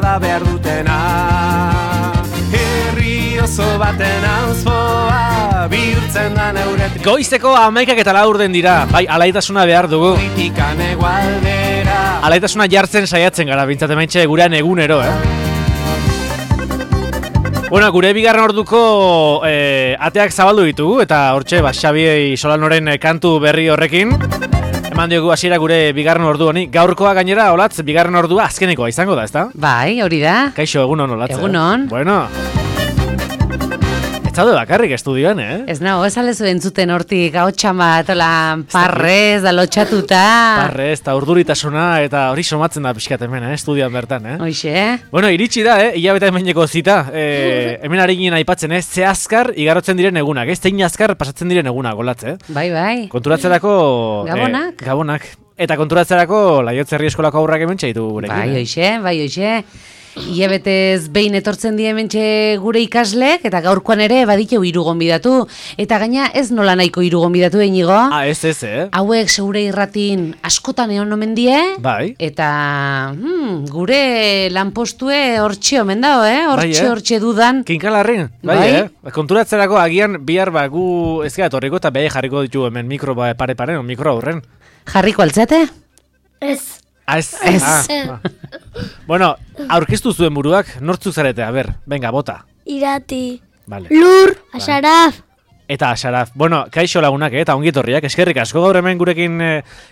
da behar dutena. Herri oso baten auzpoa bihurtzen da neuretik. Goizeko 11:04 den dira, bai, alaitasuna behar dugu. Kritikan egualdera. Alaitasuna jartzen saiatzen gara, bintzat hementxe gurean egunero, Bueno, gure bigarren orduko ateak zabaldu ditugu, eta hortxe, Xabi Solanoren kantu berri horrekin. Eman diogu hasiera gure bigarren ordu honi. Gaurkoa gainera, Olatz, bigarren ordua azkenekoa izango da, ezta? Bai, hori da. Kaixo, egunon, Olatz. Egunon. Bueno. Ez zaude bakarrik estudioan, Ez nago, ez alezu entzuten hortik ahotsan bat, parrez, da lotxatuta. Parrez, eta urduritasuna, eta hori somatzen da pixkat hemen, estudioan bertan, Hoxe. Bueno, iritsi da, hilabete hemeneko zita. Hemen ari ginen aipatzen, ze azkar igarotzen diren egunak, zein azkar pasatzen diren egunak, Olatz, Bai. Konturatzerako... Gabonak. Eta konturatzerako Laiotzerri eskolako aurrak hemen txaitu gurekin. Bai, hoxe. Iabetez behin etortzen die hementxe gure ikaslek, eta gaurkoan ere baditeu 3 gonbidatu. Eta gaina ez nola nahiko 3 gonbidatu Inigo. Ez, Hauek segure irratin askotan egon omen die. Bai. Eta gure lanpostue hortxe omen dao, Hortxe dudan. Kinkalarrin, bai. Konturatzerako agian bihar gu ez gara etorriko eta behi jarriko ditu hemen mikro pare-paren, mikro aurren. Jarriko altzate? Ez. Ez. Bueno, aurkeztu zuen buruak, nortzuk zarete, venga, bota. Irati. Vale. Lur, Asaraf. Eta Asaraf. Bueno, kaixo lagunak, eta ongitorriak, eskerrik asko gaur hemen gurekin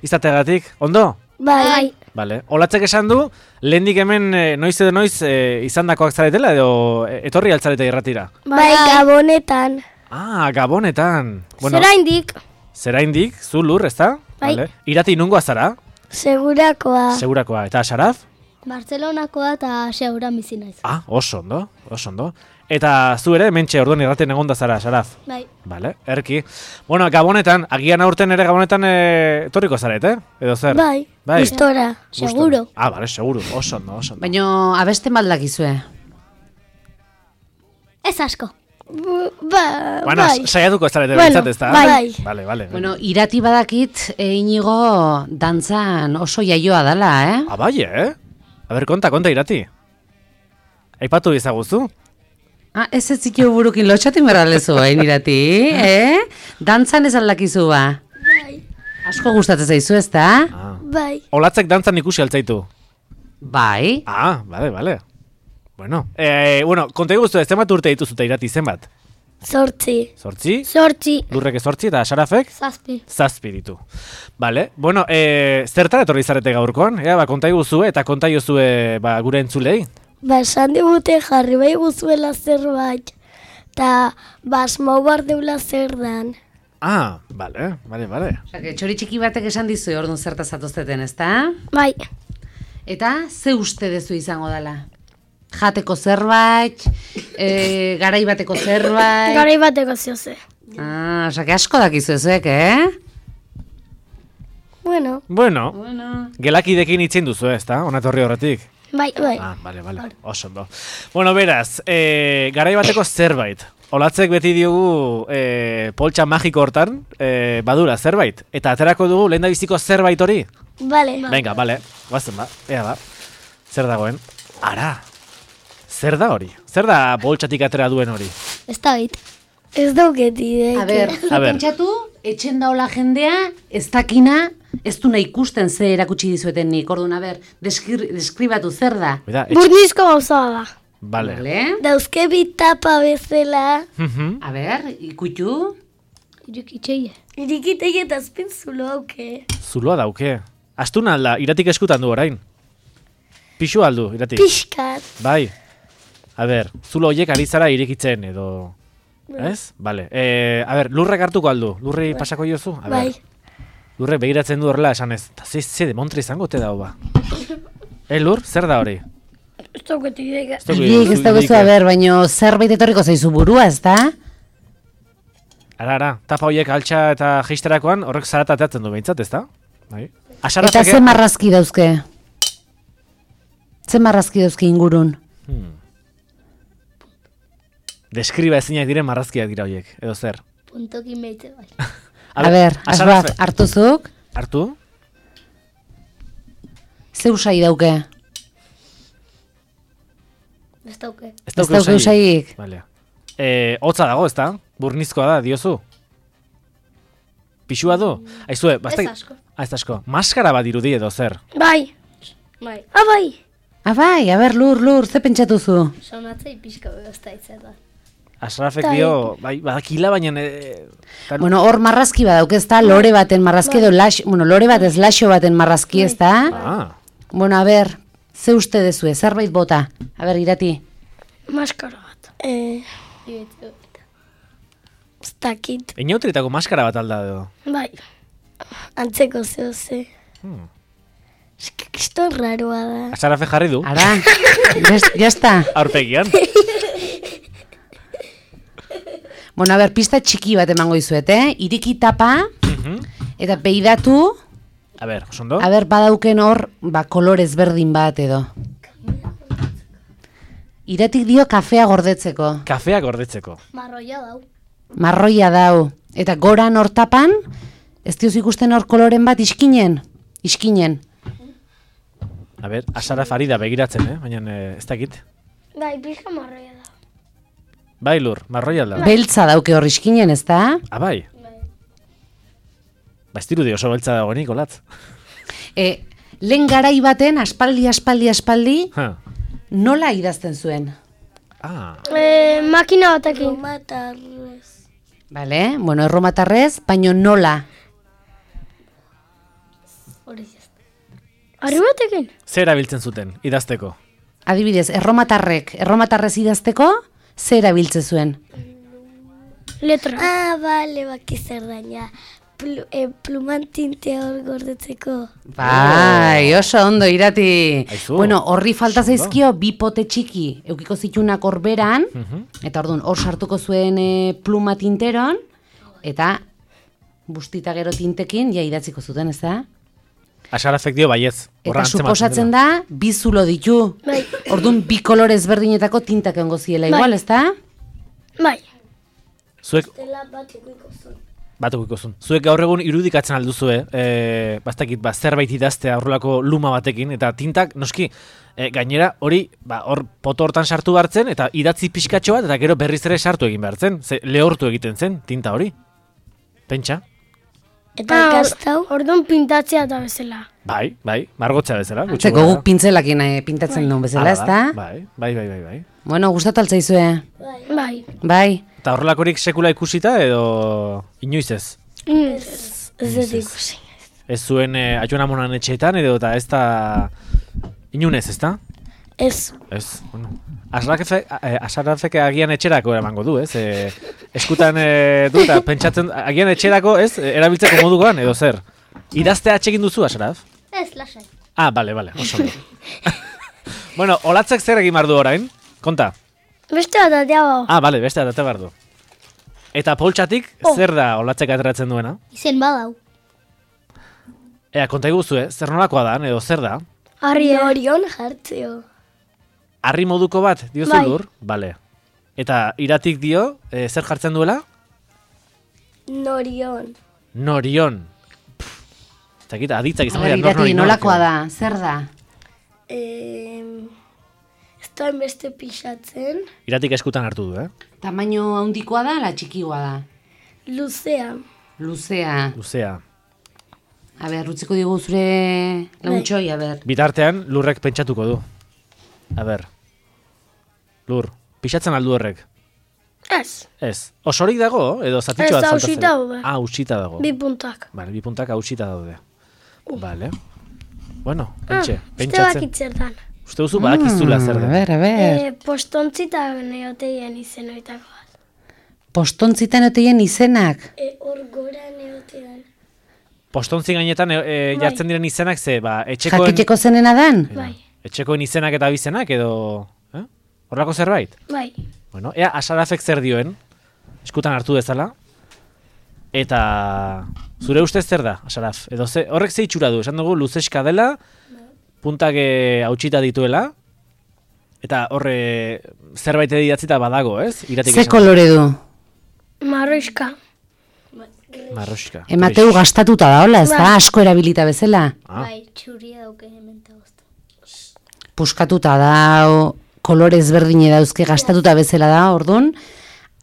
izategatik. Ondo? Bai. Vale. Olatzek esan du, lehendik hemen noiz edo noiz izandakoak zaretela edo etorri altzarete irratira? Bai, Gabonetan. Gabonetan. Bueno, Zeraindik, zu Lur, ezta? Bai. Vale. Irati nungoa zara? Segurakoa. Eta Asaraf? Bartzelonakoa eta Seuran bizi naiz. Oso ondo. Eta zu ere, mentxe orduan irraten egonda zara, Asaraf? Bai. Vale, erki. Bueno, Gabonetan, agian aurten ere Gabonetan etorriko zarete, edo zer? Bai. Gustora, seguro. Vale, seguro, oso ondo. Baina abeste maldakizue. Ez asko. Bueno, saiatuko ez zarete bintzat, ez da? Bai. Vale. Bueno, Irati badakit, Inigo dantzan oso jaioa dela, Bai, A ber, konta, Irati. Aipatu izaguzu? Ez zitu burukin lotxatin berralezu, Irati, Dantzan ez aldakizu ba? Bai. Asko gustatzen zaizu, ez da? Bai. Olatzek dantzan ikusi altzaitu? Bai. Vale. Bueno, konta guztu ez zenbat urte dituzute Irati, zenbat? 8. 8? Lurrek 8 eta Sarafek? 7 ditu. Vale, bueno, zertara etorri zarete gaurkoan? Konta guzue eta konta jozue gure entzulei? Esan digute jarri bai guzuela zerbait, eta basmau bar deula zer dan. Vale. Osea, txori txiki batek esan dizu orduan zertaz atozteten, ez da? Bai. Eta ze uste dezu izango dela? Jateko zerbait, garai bateko zerbait... Garai bateko zioze. Osea, asko dakizu ezuek, Bueno. Gelakidekin itzen duzu, ez da? Onatorri horretik? Bai. Vale. Oso ondo. Bueno, beraz, garai bateko zerbait. Olatzek beti diogu poltsa magiko hortan, badura zerbait. Eta aterako dugu lehendabiziko zerbait hori? Bale. Venga, bale. Guazen ba. Ea ba. Zer dagoen? Ara. Zer da hori? Zer da poltsatik atera duen hori? Ez da bit. Ez dauket ideik. A ber, pentsatu, etxen daola jendea, ez dakina, ez duna ikusten ze erakutsi dizueten nik. Orduan, a ber, deskribatu zer da. Burnizko gauza da. Vale. Dauzke bitapa bezala. A ber, ikutu. Irikitei eta azpin zulo hauke. Zuloa dauke. Astuna alda, Iratik eskutan du orain. Pixu aldu, Iratik. Pixkat. Bai. A ber, zulo horiek ari zara irikitzen edo... Ez? Vale. A ber, lurrek hartuko aldu. Lurri pasako jozu? Bai. Lurrek begiratzen du horrela esan ez. Eta ze demontre izango te dau ba. Lur, zer da hori? Ez dauket ideik. Ez daukezu, a ber, baino zerbait etorriko zaizu burua, ez da? Ara, tapa horiek altxa eta jeisterakoan horrek zarata ateatzen du behintzat, ez da? Bai. Eta ze marrazki dauzke? Ze marrazki dauzke ingurun? Deskriba ezinak diren marrazkiak dira horiek, edo zer? Puntokin behitze bai. A ber, Asraf, hartuzuk? Hartu? Ze usai dauke? Ez dauke. Ez Ez dauke usaik. Vale. Hotza dago, ezta? Burnizkoa da, diozu. Pixua du? Aizue, Ez asko. Ez asko. Maskara bat irudi edo zer? Bai. Bai. Bai. Bai, lur, ze pentsatuzu? Sonatzei pixka behozta itzeta. Asrafek dio, bai, badakila, baina... Bueno, hor marrazki badauk ez da, lore baten marrazki edo lore bat ez laxo baten marrazki ez da. Ah, Bueno, ze uste dezue, zerbait bota. Irati. Maskara bat. Ez dakit. inautritako maskara bat alda edo. Bai. Antzeko ze. Kiston raroa da. Asrafe jarri du, Ara, jazta. aurpegian. Bueno, pista txiki bat emango izuet, Iriki tapa, eta peidatu, A ber, osondo? badauken hor, kolorez berdin bat edo. Iratik dio kafea gordetzeko. Kafea gordetzeko. Marroia dau. Marroia dau. Eta goran hor tapan, ez dioz ikusten hor koloren bat iskinen. A ber, Asraf ari da begiratzen, baina ez dakit. Bai, pixka marroia da. Bai, lur, marroia alda. Beltza dauke hor iskinen, ez da? Ah, bai. Ba, ez dirudi oso beltza dagoenik, olatz. Lehen garai baten, aspaldi, Ha. nola idazten zuen? Ah, Makina batekin. Matarrez. Bale, bueno, erromatarrez, baino nola? Hori ez. Arri batekin? zer erabiltzen zuten, idazteko? Adibidez, erromatarrez idazteko, zer erabiltze zuen? Letra. Bale, baki zer daina. Pluman tinte hor gordetzeko. Bai, oso ondo, Irati. Aizu. Bueno, horri falta zaizkio bi pote txiki, eukiko zitunak horberan, eta orduan hor sartuko zuen pluma tinteron, eta bustita gero tintekin, idatziko zuten, ez da? Asrafek dio baietz. Eta suposatzen da, bi zulo ditu. Bai. Orduan, bi kolorez berdinetako tintak egongo ziela, igual, ez da? Bai. Zuek, Dela bat ikuiko zuen. Batukiko. Zuek gaur egun irudikatzen alduzue, bastakit, zerbait idaztea horrelako luma batekin, eta tintak, noski, gainera hori, hor poto hortan sartu behartzen, eta idatzi pixkatxo bat, eta gero berriz ere sartu egin behartzen, lehortu egiten zen, tinta hori. Pentsa? Eta ikastau? Orduan pintatzea da bezala. Bai, margotzea bezala. gutxi Zeko gora. guk pintzelakin pintatzen duen bezala, ez da? Bai. Bueno, gustat altzaizue. Bai. Bai. Eta horrelakorik sekula ikusita edo inoiz ez? Ez dut ikusi. Ez zuen Aionamonan etxeetan edo eta ez da inunez, ez da? Ez. Ez, bueno. Asrafek agian etxerako eramango du, ez? Eskutan du eta pentsatzen agian etxerako, ez? Erabiltzeko modukoan edo zer? Idaztea atxekin duzu, Asraf? Ez, lasai. Ah, bale, oso ondo. Bueno, olatzek zer egin behar du orain? Konta. Beste bat atea bau. Ah, bale, beste atate behar du. Eta poltsatik, zer da olatzek ateratzen duena? Izen badau. Konta iguzu, zer nolakoa da, edo zer da? Arri orion jartzeo. Harri moduko bat, diozu Bai. lur? Bale. Eta iratik dio, zer jartzen duela? Norion. Norion. Ez dakit, aditzak izan dira, Irati, nolakoa da, zer da? Ez da beste pixatzen. Iratik eskutan hartu du, Tamaino handikoa da, la txikikoa da? Luzea. Luzea. Luzea. A ber, utziko digu zure launtxoi, a ber. Bitartean, lurrek pentsatuko du. A ber. Lur, pixatzen aldu horrek? Ez. Ez. Osorik dago, edo zatitxo Ez, bat faltatzen? hausita daude. Ah, hausita dago. Bi puntak. Vale, bi puntak hausita daude. Vale. Bueno, Beste pentsatzen. bakitzertan. Uste duzu badakizula zer A den. ber, a ber. Postontzita neoteien izenoitako bat. Postontzitan oteien izenak. Hor gora neotean. Postontzi gainetan jartzen diren izenak ze, etxekoen... Jakiteko zenena dan? Bai. Etxekoen izenak eta abizenak edo... Horrako zerbait? Bai. Bueno, ea Asrafek zer dioen, eskutan hartu dezala, eta zure ustez zer da, Asraf? Edo horrek ze itxura du, esan dugu luzeska dela, puntak hautsita dituela, eta horre zerbait idatzita badago, ez? Iratik Ze esan. kolore du? Marroiska. Marroxka. Emateu gastatuta da, hola, ez da? Asko erabilita bezala. Ah. Bai, txuria dauke hemen eta gozta. Puskatuta da, kolore ezberdine dauzke gastatuta bezala da, ordun.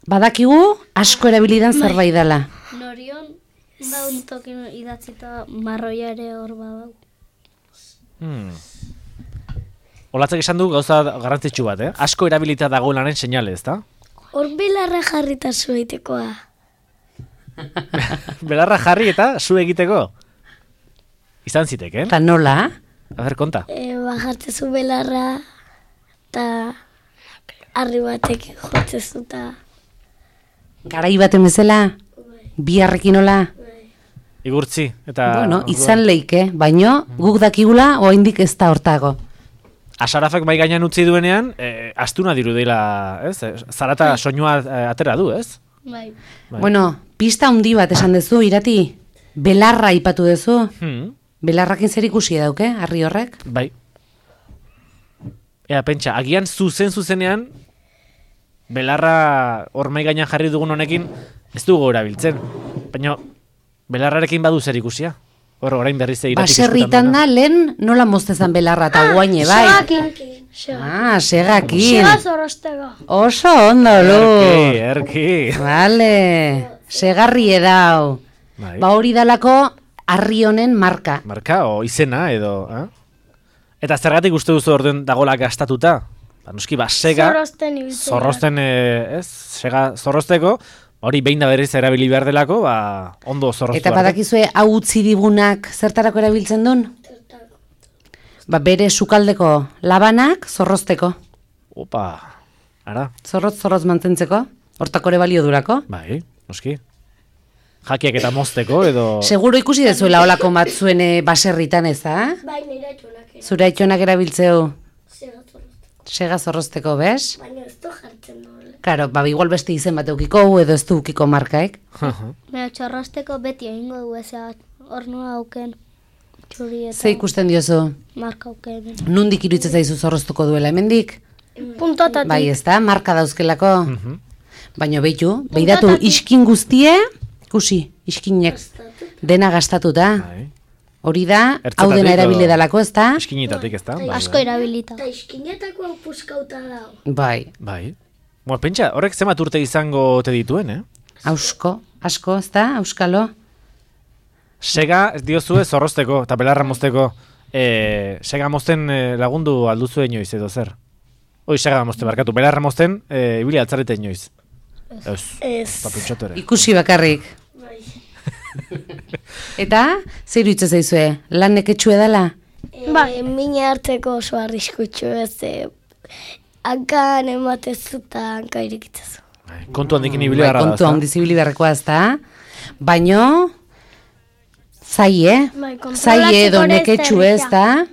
Badakigu asko erabilidan zerbait dela. Norion, daun tokin idatzita marroiare hor badau. Olatzek esan du gauza garrantzitsu bat, Asko erabilita dagoelaren seinale, ezta? Hor belarra jarrita zueitekoa. Belarra jarri eta zu egiteko. Izan ziteken? Eta nola? A ber, konta. Bajartzezu belarra eta harri batek jotzezu eta... Garai baten bezala? Biharrekin nola? Igurtzi. Eta Bueno, izan leike, baino guk dakigula oraindik ez da hortago. Asarafek mai gainean utzi duenean, astuna dirudela, ez? Zarata soinua atera du, ez? Bai. Bueno, pista handi bat esan duzu, Irati. Belarra aipatu duzu. Belarrakin zer ikusi dauke, harri horrek? Bai. Ea, pentsa, agian zuzenean, belarra hor mai gainean jarri dugun honekin, ez dugu erabiltzen. Baina, belarrarekin badu zer ikusia. Hor, orain berriz Iratik Baserritan da, lehen nola moztezan belarra eta guaine, bai? Segakin. Sega zorrostego. Oso ondo, lu. Erki. Vale, segarri edau. Bai. Ba hori dalako harri honen marka. Marka, o izena, edo, Eta zergatik uste duzu orduen dagoela gastatuta? Ba, noski, sega, Zorrosten ibiltzen. zorrosten, sega zorrosteko, hori behin da berriz erabili behar delako, ondo zorroztu. Eta badakizue hau utzi digunak zertarako erabiltzen duen? Ba bere sukaldeko labanak zorrozteko. Opa, ara. Zorrotz mantentzeko. Hortako ere balio durako. Bai, noski. Jakiak eta mozteko, edo... Seguro ikusi dezuela olako batzuen baserritan ez da? Bai, nire atxonak Zure aitxonak erabiltzeu zega zorroztu. sega zorrozteko, bez? Baina ez du jartzen du. Karo, ba igual beste izen bat eukiko edo ez du eukiko markaek. Mea txorrosteko beti egingo du ezea hornua auken txuri eta Ze ikusten diozu? marka auken. Nundik iruditzen zaizu zorroztuko duela hemendik? Puntotatik. Bai, ez da, marka dauzkelako. Baina behitu, behiratu iskin guztie, ikusi, iskinek dena gastatuta. Bai. Hori da, hau Ertzetatik dena erabile edo- dalako, ez da? Eskinitatik, ez da? Bai, Asko erabilita. Eta iskinetako hau puskauta dago. Bai, Bai. Bueno, pentsa, horrek zenbat urte izango te dituen, asko, ez da, auskalo? Sega, ez diozue zorrozteko eta belarra mozteko. Sega mozten lagundu alduzu inoiz edo zer? Hoi, sega mozten barkatu, belarra mozten ibili altzarete inoiz. Ez. Eta pentsatu ere. Ikusi bakarrik. Eta, zer iruditzen zaizue, lan neketxue dela? Bai, mine hartzeko oso arriskutsu ez. Hankan ematezu eta hanka irekitzezu. Bai, kontu handikin ibili Bai, gara da, kontu handiz ibili beharrekoa ez da? Baino, zai, Bai, Zai edo neketxu ez da?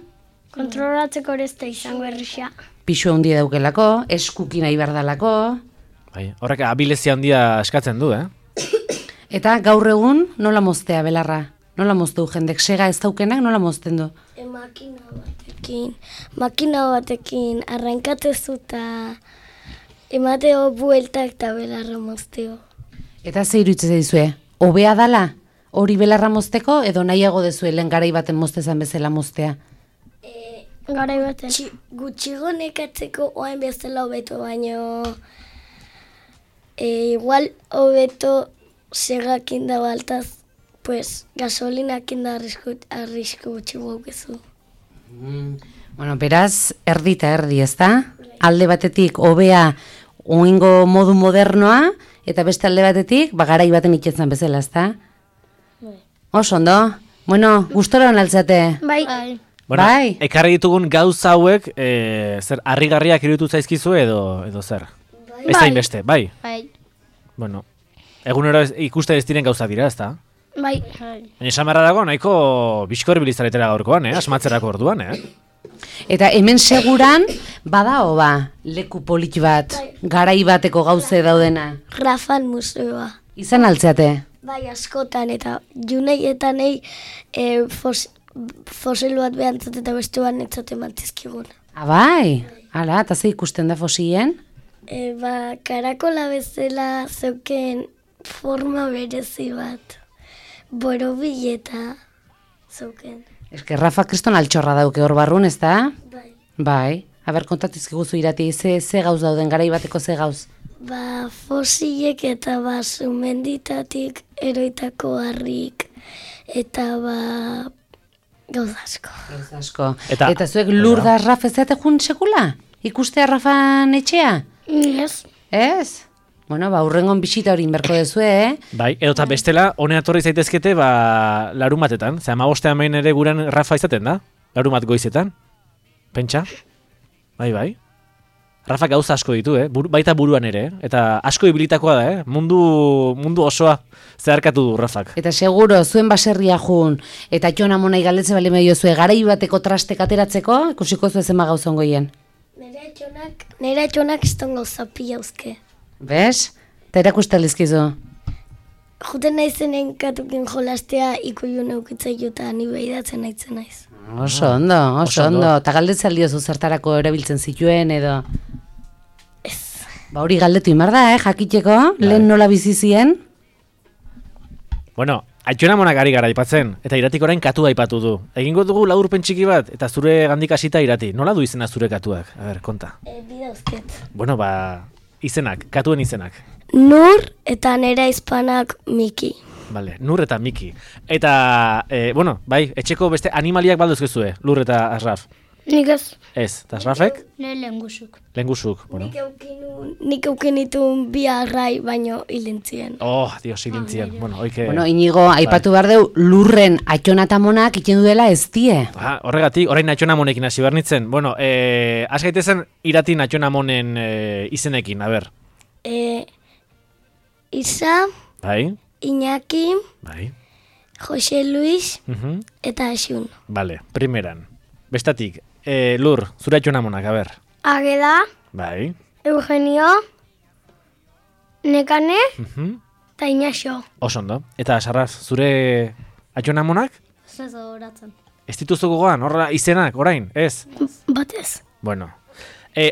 Kontrolatzeko ere ez da izango errixia. Pixu handia daukelako, eskuki nahi behar dalako. Bai, horrek abilezia handia eskatzen du, Eta gaur egun nola moztea belarra? Nola moztu jendek sega ez daukenak nola mozten du? Makina batekin arrankatzezu eta emateo bueltak eta belarra mozteo. Eta ze iruditzen zaizue? Hobea dala? Hori belarra mozteko edo nahiago dezue lehen garai baten moztezan bezala moztea? Garai baten. Gutxigo nekatzeko oain bezala hobeto, baino igual hobeto segakin da baltaz, pues gasolinakin da arrisku gutxigo aukezu. Bueno, beraz, erdi eta erdi, ez da? Alde batetik hobea oingo modu modernoa, eta beste alde batetik, garai baten itxetzen bezala, ez da? Oso ondo. Bueno, gustora hon altzate. Bai. Bueno, Bai. ekarri ditugun gauza hauek, zer, harrigarriak iruditu zaizkizu edo zer? Ez da inbeste, bai? Bai. Bueno, egunero ikuste ez diren gauza dira, ez da? Bai. Baina esan beharra dago, nahiko bizkor bilizaretera gaurkoan, asmatzerako orduan, Eta hemen seguran, badao ba, leku polit bat, garai bateko gauze daudena. Rafal museoa. Izan altzeate. Bai, askotan, eta junei eta nei fosil bat behantzat eta beste bat netzat emantizkigun. Bai, ala, eta ze ikusten da fosilien? Karakola bezala zeuken forma berezi bat. Borobil eta zeuken. Eske Rafa kriston altxorra dauke hor barrun, ez da? Bai. Bai, Aber, kontatizkiguzu Irati, ze gauz dauden, garai bateko ze gauz? Ba, fosilek eta ba, sumenditatik eroitako harrik, eta ba, gauz asko. Gauz asko. Eta zuek lur da Raf ez zate jun sekula? Ikustea Rafan etxea? Ez. Ez? Bueno, ba, urrengon bisita hori inberko dezue, Bai, edota bestela, honea torri zaitezkete, ba, larun batetan. Zer, 15 behin ere guran Rafa izaten da? Larun bat goizetan? Pentsa? Bai. Rafa gauza asko ditu, baita buruan ere, eta asko ibilitakoa da, mundu osoa zeharkatu du Rafak. Eta seguro, zuen baserria jun, eta Jon Amonai galdetzen bali medio zue, garai bateko trastek ateratzeko, ikusiko zuen zema gauzongo hien. Nire atxonak izton gauza pila uzke. Bez? Eta erakuste lizkizu. Juten naizenen katukin jolastea ikuiu neukitzaio eta ni behidatzen naitzen naiz. Oso ondo. Eta galdetzen diozu zertarako erabiltzen zituen edo... Ez. Ba hori galdetu imar da, jakiteko, lehen nola bizi zien. Bueno, Jon Amonak ari gara aipatzen, eta Iratik orain katua aipatu du. Egingo dugu laburpen txiki bat, eta zure gandik hasita Irati. Nola du izena zure katuak? A ber, konta. Bidauzket. Bueno, ba, izenak, katuen izenak. Nur eta nera izpanak Miki. Vale, Nur eta Miki. Eta, bueno, bai, etxeko beste animaliak balduzkezue, Lur eta Asraf. Nik ez. Ez, eta Asrafek? Ne lehengusuk. Lehengusuk, bueno. Nik eukenitun bi arrai baino hilentzien. Oh, Dios, hilintzien. Bueno, oike... Bueno, Inigo, aipatu behar deu, Lurren Jon Amonak iten duela ez die. Horregatik, orain Jon Amonekin hasi bernitzen. Bueno, has gaitezen Irati Jon Amonen izenekin, a ber. Isa, Bai, Iñaki, bai. Jose Luis Mhm. eta Asun. Vale, primeran. Bestatik, Lur, zure Jon Amonak, a ber. Ageda, Bai. Eugenio, Nekane Mhm. eta Inaxo. Oso ondo. Eta Sarraf, zure Jon Amonak? Ez horatzen. Ez dituzu gogoan, horra izenak, orain, ez? Batez. Bueno.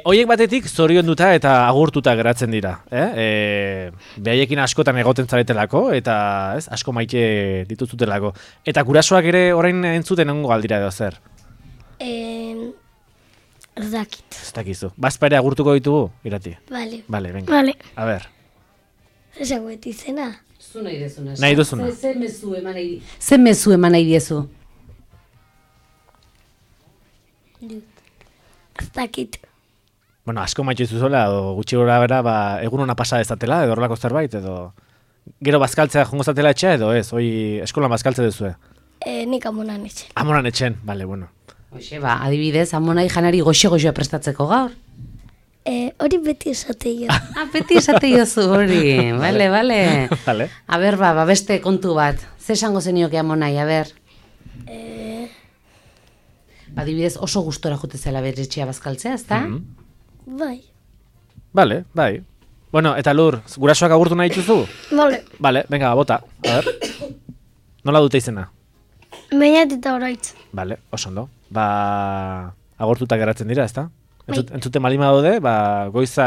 Hoiek batetik zorionduta eta agurtuta geratzen dira. Behaiekin askotan egoten zaretelako, eta ez, asko maite dituzutelako. Eta gurasoak ere orain entzuten ongo galdira edo zer. Ez dakit. Ez dakizu. Bazpa ere agurtuko ditugu, Irati? Bale. Bale, venga. Bale. A ber. Esango izena. Zu nahi dezuna. Nahi duzuna. Ze mezu eman nahi diezu? Ez dakit. Bueno, asko maite zuzuela, edo gutxi gora bera, ba, egun hona pasa dezatela, edo horrelako zerbait, edo... Gero bazkaltzea jongo zatela etxea, edo ez? Hoi eskolan bazkaltze duzue? Nik Amonan etxen. Amonan etxen, bale, bueno. Hoxe, ba, adibidez, Amonai janari goxo-goxoa prestatzeko gaur. Hori beti esateio. Beti esate jozu hori, bale. Vale. A ber, ba, beste kontu bat. Ze esango zenioke Amonai, a ber? Adibidez, oso gustora jute zela bere etxea bazkaltzea, ezta? Bai. Vale, bai. Bueno, eta Lur, gurasoak agurtu nahi dituzu? Bale. Vale, venga, bota. A ver. Nola dute izena? Bainat eta horaitz. Vale, oso ondo. Ba, agurtuta geratzen dira, ezta? Entzuten malima daude, ba, goiza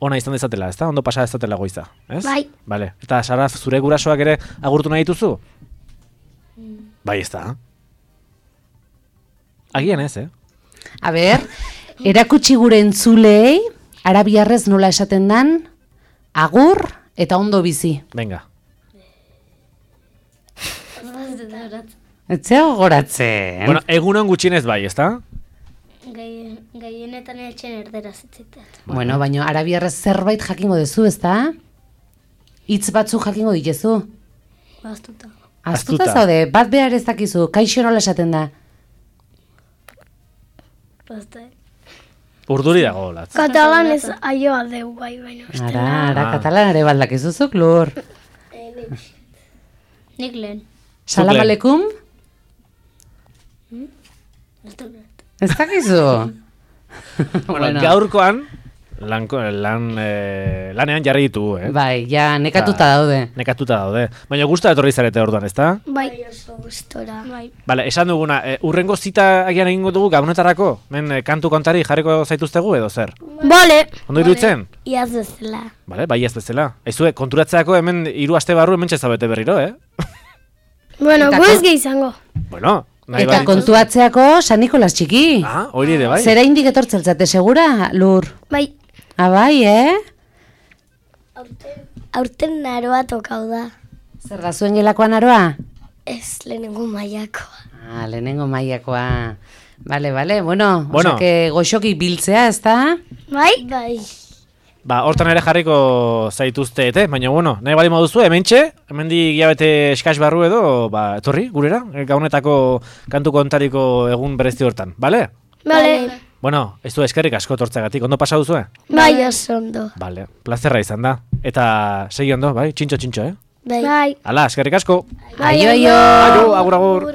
ona izan dezatela, ezta? Ondo pasa dezatela goiza, ez? Bai. Vale. Eta Saraf, zure gurasoak ere agurtu nahi dituzu? Bai, ezta. Agian ez, A ber, erakutsi gure entzulei, arabiarrez nola esaten dan, agur eta ondo bizi. Venga. Etzea gogoratzen. Bueno, egunon gutxienez bai, ezta? Gehienetan etxen erderaz itziteat. Bueno, baina arabiarrez zerbait jakingo dezu, ezta? Hitz batzu jakingo ditezu. Baztuta. Aztuta zaude, bat behar ez dakizu, kaixo nola esaten da. Bazta. Urduri dago, latz. Katalan ez aioa deu bai, baina. Ara, katalanare baldakizuzuk, Lur. Nik lehen. Salam aleikum? Ez dakizu? Bueno, gaurkoan lanean jarri ditugu, Bai, ja, nekatuta daude. Nekatuta daude. Baina gusta etorri zarete orduan, ezta? Bai, oso gustora. Bai. Bale, esan duguna, urrengo zita agian egingo dugu gabonetarako? Kantu kontari jarriko zaituztegu edo zer? Bale. Ondo iruditzen? Iaz bezala. Bale, bai ez bezala. Aizue, konturatzeako hemen 3 aste barru hemen txezabete berriro, Bueno, gu ez gehi izango. Bueno, Nahi Eta badituz. kontuatzeako San Nikolas txiki. Ah, hori ere bai. Zera indik etortzeltzate, segura, Lur? Bai, Bai, aurten naroa tokau da. Zer da zuen gelakoan aroa? Ez lehenengo mailakoa. Lehenengo mailakoa. Bale, bueno. Bueno. Osea, goxoki biltzea, ez da? Bai? Bai. Hortan ere jarriko zaituzte, baina bueno, nahi bali moduzu, hemendik hilabete eskas barru edo, etorri, gurera, gaunetako kantu kontariko egun berezti hortan, bale? Bale. Bueno, ez du eskerrik asko tortzeagatik, ondo pasa duzue? Bai, oso ondo. Bale, plazerra izan da. Eta segi ondo, bai, txintxo, Bai. Hala, eskerrik asko. Aio. Aio, agur.